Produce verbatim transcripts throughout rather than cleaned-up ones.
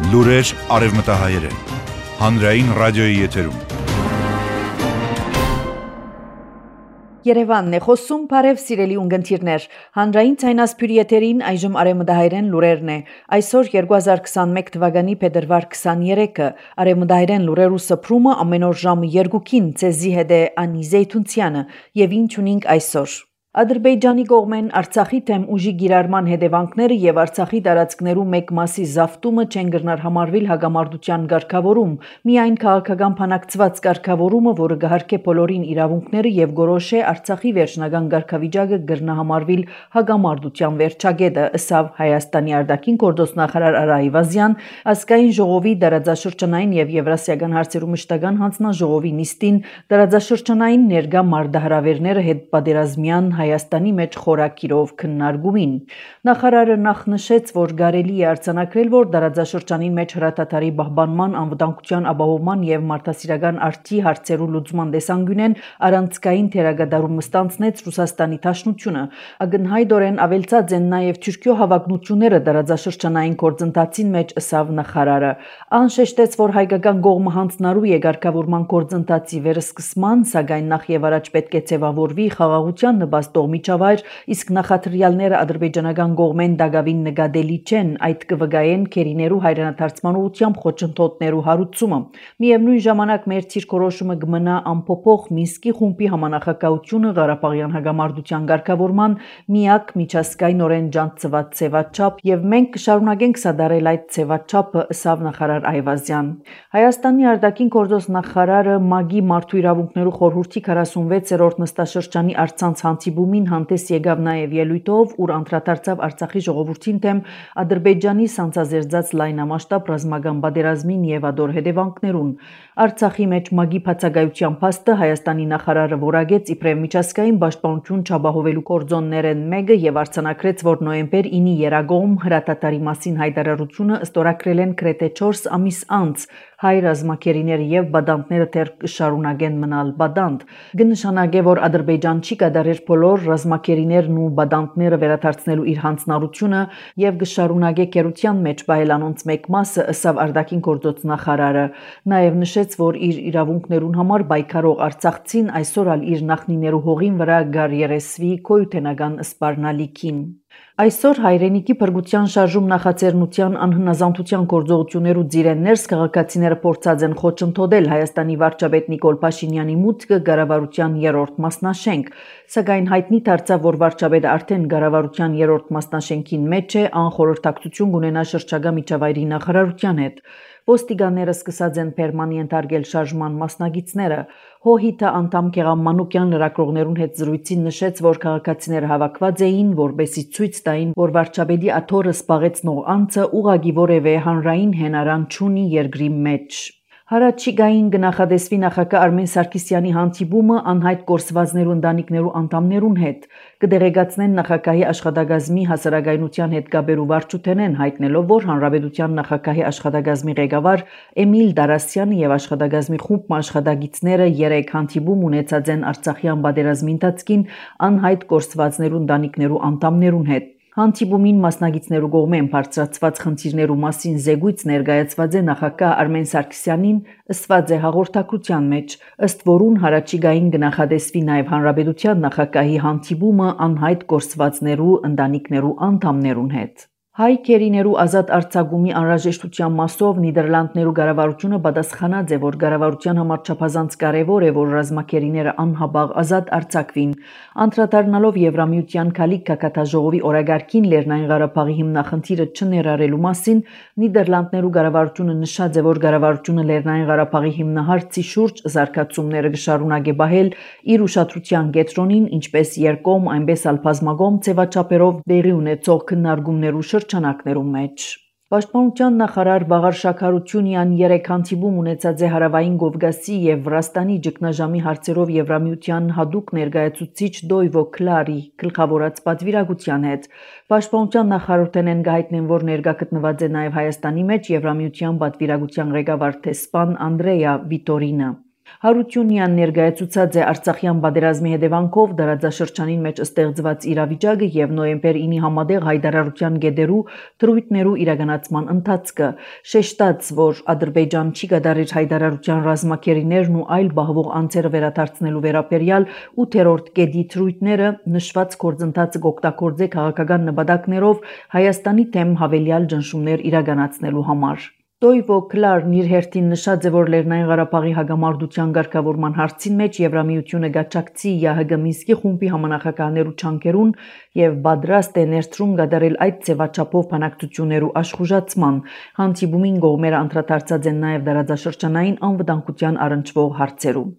Լուրեր արևմտահայերեն, հանրային ռադիոյի եթերում։ Երևանն է խոսում, բարև սիրելի ունգընտիրներ, հանրային ցայնասփյուր եթերին այժմ արևմտահայերեն լուրերն է։ Այսօր երկու հազար քսանմեկ թվականի փետրվար քսաներեքը արևմտահայերեն լուրերու սփռումը ամեն օր ժամը երկուքին ցեզի հետ է Անի Զեյթունցյանը եւ ինչ ունենք այսօր։ Ադրբեջանի կողմեն Արցախի թեմ ուժի գիրառման հետևանքները եւ Արցախի տարածքներու մեկ մասի զավթումը չեն գրնար համարվել հագամարտության ղեկավարում, միայն քաղաքական փանակցված ղեկավարումը, որը գահարկե բոլորին իրավունքները եւ գորոշե Արցախի վերջնական ղեկավիճակը գրնա համարվել հագամարտության վերջագետը, ըսավ Հայաստանի արտաքին գործոստ նախարար Արա Այվազյան ազգային ժողովի դարաձաշրջանային եւ եվրասիական հարցերու մշտական հանձնաժողովի նիստին դարաձաշրջանային ներգա մարտահրավերները հետ պատերազմյան Հայաստանի մեջ խորակիրով քննարկումին։ Նախարարը նախ նշեց, որ կարելի է արձանագրել, որ դարաձաշրջանի մեջ հրատատարի պահպանման, անվտանգության ապահովման եւ մարդասիրական արդի հարցերու լուծման տեսանկյունեն առանցքային թերագադարում ստանցնեց Ռուսաստանի Դաշնությունը։ Ակնհայտորեն ավելցած են նաեւ Թուրքիո հավակնությունները դարաձաշրջանային գործընթացին մեջ, ըսավ նախարարը։ Անշեշտեց, որ հայկական կողմը հանձնարարու է ղեկավարման գործընթացի վերսկսման, սակայն նախ եւ առաջ պետք է ձևավորվի խաղաղության նպաստող միջավայր, իսկ նախադրյալները ադրբեջանական կողմեն դակավին նկատելի չեն, այդ կվգայեն քերիներու հայրենադարձման ուղղությամբ խոչընդոտներու հարուցումը։ Միևնույն ժամանակ մեր ցիրկորոշումը կմնա անփոփոխ Մինսկի խումբի համանախագահությունը Ղարաբաղյան հագամարտության ղեկավարման միակ միջազգայինորեն ջանցված ցեվաչափ եւ մենք կշարունակենք սադարել այդ ցեվաչափը, ըսավ նախարար Այվազյան։ Հայաստանի արտաքին գործոստ նախարարը ՄԱԳ-ի մարդու իրավունքներու խորհրդի քառասունվեցերորդ նստաշրջանի արցանց հանդիպումին հանդես եկավ նաև ելույթով, ուր անդրադարձավ Արցախի ժողովրդին թեմ Ադրբեջանի սանձազերծած լայնամասշտաբ ռազմական պատերազմին եւ ադոր հետևանքներուն։ Արցախի մեջ ՄԱԳ-ի բացակայության փաստը Հայաստանի նախարարը որակեց իբրև միջազգային պաշտպանություն չապահովելու կորձոններեն մեկը եւ արձանագրեց, որ նոյեմբեր ինի երագոմ հրատատարի մասին հայտարարությունը ստորագրել են գրեթե չորս ամիս անց հայ ռազմակերիները եւ բադանտները դեռ կշարունակեն մնալ բադանտ։ Կնշանակե, որ Ադրբեջան չի կատարեր բոլոր ռազմակերիներն ու բադանտները վերադարձնելու իր հանձնարարությունը եւ կշարունակե կերության մեջ բայելանոնց մեկ մասը, ըսավ արտաքին գործոց նախարարը։ Նաեւ նշեց, որ իր իրավունքներուն համար պայքարող արցախցին այսօր ալ իր նախնիներու հողին վրա գար երեսվի քոյութենական սպառնալիքին։ Այսօր հայրենիքի փրկության շարժում նախաձեռնության անհնազանդության գործողություններու ծիրեններս քաղաքացիները փորձած են խոչընդոտել Հայաստանի վարչապետ Նիկոլ Փաշինյանի մուտքը կառավարության երրորդ մասնաշենք, սակայն հայտնի դարձավ, որ վարչապետը արդեն կառավարության երրորդ մասնաշենքին մեջ է, անխորհրդակցություն կունենա շրջակա միջավայրի նախարարության հետ։ Ոստիկանները սկսած են պերմանենտ արգել շարժման մասնագետները։ Հոհիտը անդամ Գեղամ Մանուկյան լրագրողներուն հետ զրույցին նշեց, որ քաղաքացիները հավաքված էին, որբեսի ցույց տային, որ վարչապետի աթոռը սպաղեցնող անձը ուղղակի որևէ հանրային հենարան չունի երկրի մեջ։ Հարաճիգային կնախադեсվի նախագահ Արմեն Սարգսյանի հանդիպումը անհայտ կորսվածներու ընտանիքներու անդամներուն հետ։ Կդեղեկացնեն նախագահի աշխատակազմի հասարակայնության հետ կապերու վարչութենեն, հայտնելով, որ հանրապետության նախագահի աշխատակազմի ղեկավար Էմիլ Դարասյանը եւ աշխատակազմի խումբ աշխատակիցները երեք հանդիպում ունեցած են Արցախյան պատերազմի ընթացքին անհայտ կորսվածներու ընտանիքներու անդամներուն հետ։ Հանդիպումին մասնագետներու կողմեն բարձրացված խնդիրներու մասին զեկույց ներկայացված է նախագահ Արմեն Սարգսյանին, ըսված է հաղորդակցության մեջ, ըստ որուն հարաճիգային կնախադեсվի նաև հանրապետության նախագահի հանդիպումը անհայտ կորսվածներու ընտանիքներու անդամներուն հետ։ Հայ քերիներու ազատ արձակումի անհրաժեշտության մասով Նիդերլանդներու կառավարությունը պատասխանած է, որ կառավարության համար չափազանց կարևոր է, որ ռազմակերիները անհապաղ ազատ արձակվին։ Անդրադառնալով Եվրամիության Քալիկ Կակաթաժողովի օրագարկին Լեռնային Ղարաբաղի հիմնախնդիրը չներառելու մասին, Նիդերլանդներու կառավարությունը նշած է, որ կառավարությունը Լեռնային Ղարաբաղի հիմնահարցի շուրջ զարգացումները կշարունակի պահել իր ուշադրության կենտրոնին, ինչպես երկկողմ, այնպես ալ բազմակողմ ձևաչափերով տեղի ունեցող քննարկումներու շրջանակներում մեջ։ Պաշտպանության նախարար Վաղար Շաքարությունյան երեք հանդիպում ունեցած է Հարավային Կովկասի եւ Վրաստանի ճգնաժամի հարցերով Եվրամիության հատուկ ներկայացուցիչ Դոյվո Քլարի գլխավորած պատվիրակության հետ։ Պաշտպանության նախարարութենեն գահիտնեն, որ ներկա գտնված է նաեւ Հայաստանի մեջ Եվրամիության պատվիրակության ղեկավար տեսփան Անդրեյա Վիտորինը։ Հարությունյան ներկայացուցած է Արցախյան պատերազմի հետևանքով դարաձաշրջանին մեջ ստեղծված իրավիճակը եւ նոյեմբեր ինի համատեղ հայտարարության գեդերու թրույթներու իրականացման ընթացքը, շեշտած, որ Ադրբեջան չի կատարիր հայտարարության ռազմակերիներն ու այլ բահվող անձերը վերադարձնելու վերաբերյալ ութերորդ գեդի թրույթները նշված գործընթացը կօգտագործե քաղաքական նպատակներով Հայաստանի թեմ հավելյալ ճնշումներ իրականացնելու համար։ Տոյվո Կլարն իր հերթին նշած է, որ Լեռնային Ղարաբաղի հագամարտության ղեկավարման հարցին մեջ Եվրամիությունը գաչակցի ՀՀԳ Մինսկի խումբի համանախագահներու չանկերուն եւ պատրաստ է ներդրում կատարել այդ ձևաչափով բանակցություններու աշխուժացման։ Հանդիպումին կողմերը անդրադարձած են նաեւ դարաձաշրջանային անվտանգության առնչվող հարցերու։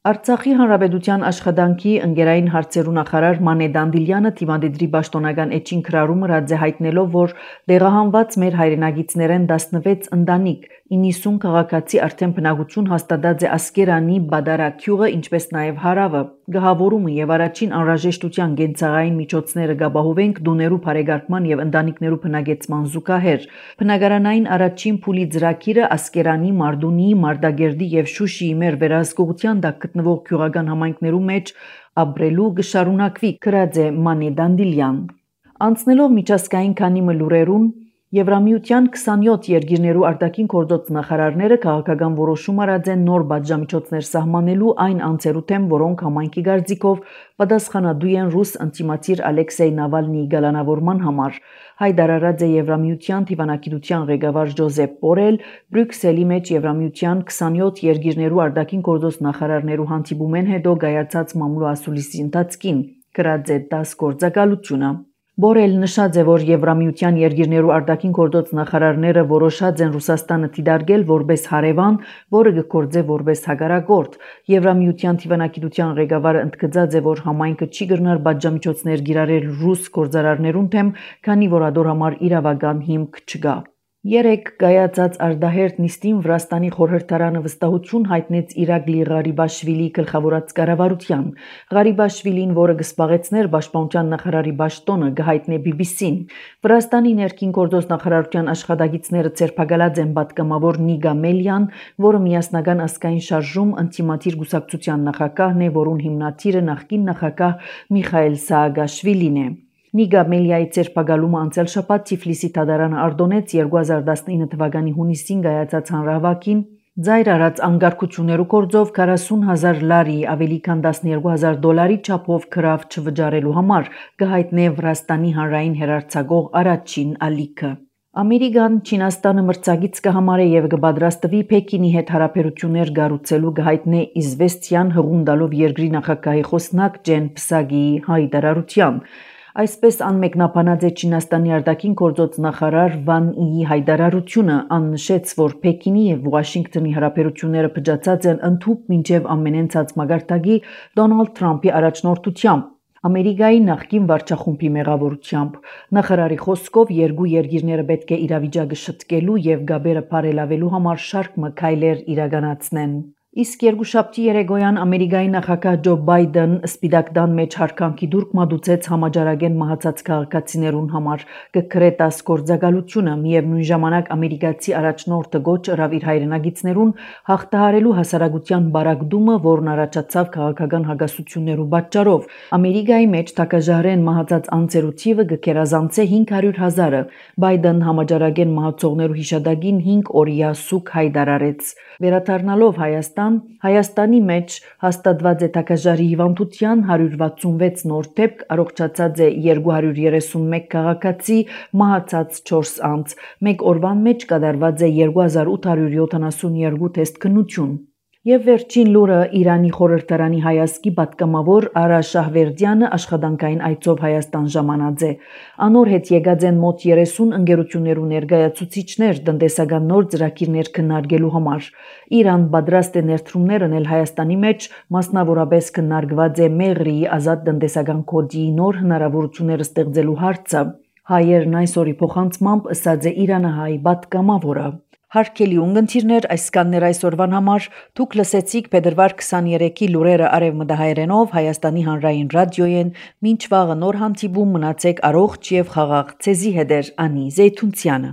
Արցախի հանրապետության աշխատանքի ընկերային հարցերու նախարար Մանե Դանդիլյանը թիմադեդրի պաշտոնական էջին քրարումը ռաձե հայտնելով, որ դեղահանված մեր հայրենագիցներեն տասնվեց ընտանիք, իննսուն քաղաքացի արդեն բնակություն հաստատած է Ասկերանի Բադարակյուղը, ինչպես նաև հարավը, գահավորումը եւ առաջին անհրաժեշտության գենցաղային միջոցները գաբահովենք դուներու բարեկարգման եւ ընտանիքներու բնակեցման զուգահեռ։ Բնակարանային առաջին փուլի ծրագիրը Ասկերանի, Մարդունի, Մարտակերտի եւ Շուշիի մեր վերահսկողության տակ գտնվող գյուղական համայնքներու մեջ ապրելու կշարունակվի, գրած է Մանե Դանդիլյան։ Անցնելով միջազգային քանի լուրերուն Եվրամիության քսանյոթ երկիրներու արտաքին գործոց նախարարները քաղաքական որոշում արած են նոր պատժամիջոցներ սահմանելու այն անձերու թեմ, որոնք համայնքի կարծիքով պատասխանատու են ռուս ընտիմացիր Ալեքսեյ Նավալնիի գալանավորման համար։ Հայտարարած է Եվրամիության դիվանագիտության ղեկավար Ջոզեփ Բորել Բրյուսելի մեջ Եվրամիության քսանյոթ երկիրներու արտաքին գործոց նախարարներու հանդիպումեն հետո գայացած մամուլու ասուլիսի ընթացքին, գրած է դաս գործակալությունը։ Բորել նշած է, որ Եվրամիության երկիրներու արտաքին գործոց նախարարները որոշած են Ռուսաստանը դիտարկել որպես հարևան, որը կգործե որպես հակառակորդ։ Եվրամիության դիվանագիտության ղեկավարը ընդգծած է, որ համայնքը չի կրնար պատժամիջոցներ կիրառել ռուս գործարարներուն թեմ, քանի որ ադոր համար իրավական հիմք չկա։ Երեք գայացած արդահերթ նիստին Վրաստանի խորհրդարանը վստահություն հայտնեց Իրակլի Ղարիբաշվիլի գլխավորած կառավարության։ Ղարիբաշվիլին, որը կսպաղեցներ պաշտպանության նախարարի պաշտոնը, կհայտնե բի բի սին։ Վրաստանի ներքին գործոց նախարարության աշխատակիցները ցերպակալած են պատգամավոր Նիգա Մելյան, որը միասնական ազգային շարժում ընտիմատիր գուսակցության նախագահն է, որուն հիմնադիրը նախկին նախագահ Միխայել Սաակաշվիլին է։ Նիգա Մելիայի ցերպակալումը անցյալ շաբաթ Թիֆլիսի դատարանը արդոնեց երկու հազար տասնինը թվականի հունիսին կայացած հանրահավաքին ձայր արած անկարգություններու գործով քառասուն հազար լարի ավելի քան տասներկու հազար դոլարի չափով քրավ չվճարելու համար կհայտնե Վրաստանի հանրային հեռարձակող առաջին ալիքը։ Ամերիկան Չինաստանը մրցակից կհամարե եւ կպատրաստվի Պեկինի հետ հարաբերություններ կառուցելու կհայտնե Իզվեստիան հղունդալով երկրի նախագահի խոսնակ Ջեն Պսագիի հայտարարությամբ։ Այսպես անմեկնաբանած է Չինաստանի արտաքին գործոց նախարար Վան Իի հայտարարությունը, աննշեց, որ Պեկինի եւ Վաշինգտոնի հարաբերությունները փճացած են ընդհուպ մինչեւ ամենենցած մագարտակի Դոնալդ Թրամփի առաջնորդությամբ։ Ամերիկայի նախկին վարչախումբի մեղավորությամբ նախարարի խոսքով երկու երկիրները պետք է իրավիճակը շտկելու եւ գաբերը բարելավելու համար շարք մքայլեր իրականացնեն։ Իսկ երկուշաբթի երեկոյան Ամերիկայի նախագահ Ջո Բայդեն Սպիտակ տան մեջ հարկանքի դուրք մատուցեց համաճարակեն մահացած քաղաքացիներուն համար կգրետաս գործակալությունը, միևնույն ժամանակ ամերիկացի առաջնորդը գոչ ըրավ իր հայրենագիցներուն հաղթահարելու հասարակության բարակդումը, որն առաջացավ քաղաքական հակասություններու պատճառով։ Ամերիկայի մեջ թակաժահրեն մահացած անձերու թիվը կգերազանցե հինգ հարյուր հազարը։ Բայդեն համաճարակեն մահացողներու հիշադակին հինգ օրյա սուկ հայտարարեց։ Վերադառնալով Հայաստան Հայաստանի մեջ հաստատված է թակաժարի հիվանդության հարյուր վաթսունվեց նոր դեպք, առողջացած է երկու հարյուր երեսունմեկ քաղաքացի, մահացած չորս անձ։ Մեկ օրվան մեջ կատարված է երկու հազար ութ հարյուր յոթանասունյոթ թեստ քննություն։ Եվ վերջին լուրը Իրանի խորհրդարանի հայազգի պատգամավոր Արա Շահվերդյանը աշխատանքային այցով Հայաստան ժամանած է։ Անոր հետ եկած են մոտ երեսուն ընկերություններու ներկայացուցիչներ տնտեսական նոր ծրագիրներ քննարկելու համար։ Իրան պատրաստ է ներդրումներ անել Հայաստանի մեջ, մասնավորապես քննարկված է Մեղրիի ազատ տնտեսական կոդի նոր հնարավորությունները ստեղծելու հարցը։ Հայերն այսօրի փոխանցմամբ ըսած է իրանահայ պատգամավորը։ Հարգելի ունգընթիրներ, այսքաններ այսօրվան համար դուք լսեցիք փետրվար քսաներեքի լուրերը արևմտահայերենով Հայաստանի հանրային ռադիոյեն, մինչ վաղը նոր հանդիպում մնացեք առողջ եւ խաղաղ ցեզի հետեր Անի Զեյթունցյանը։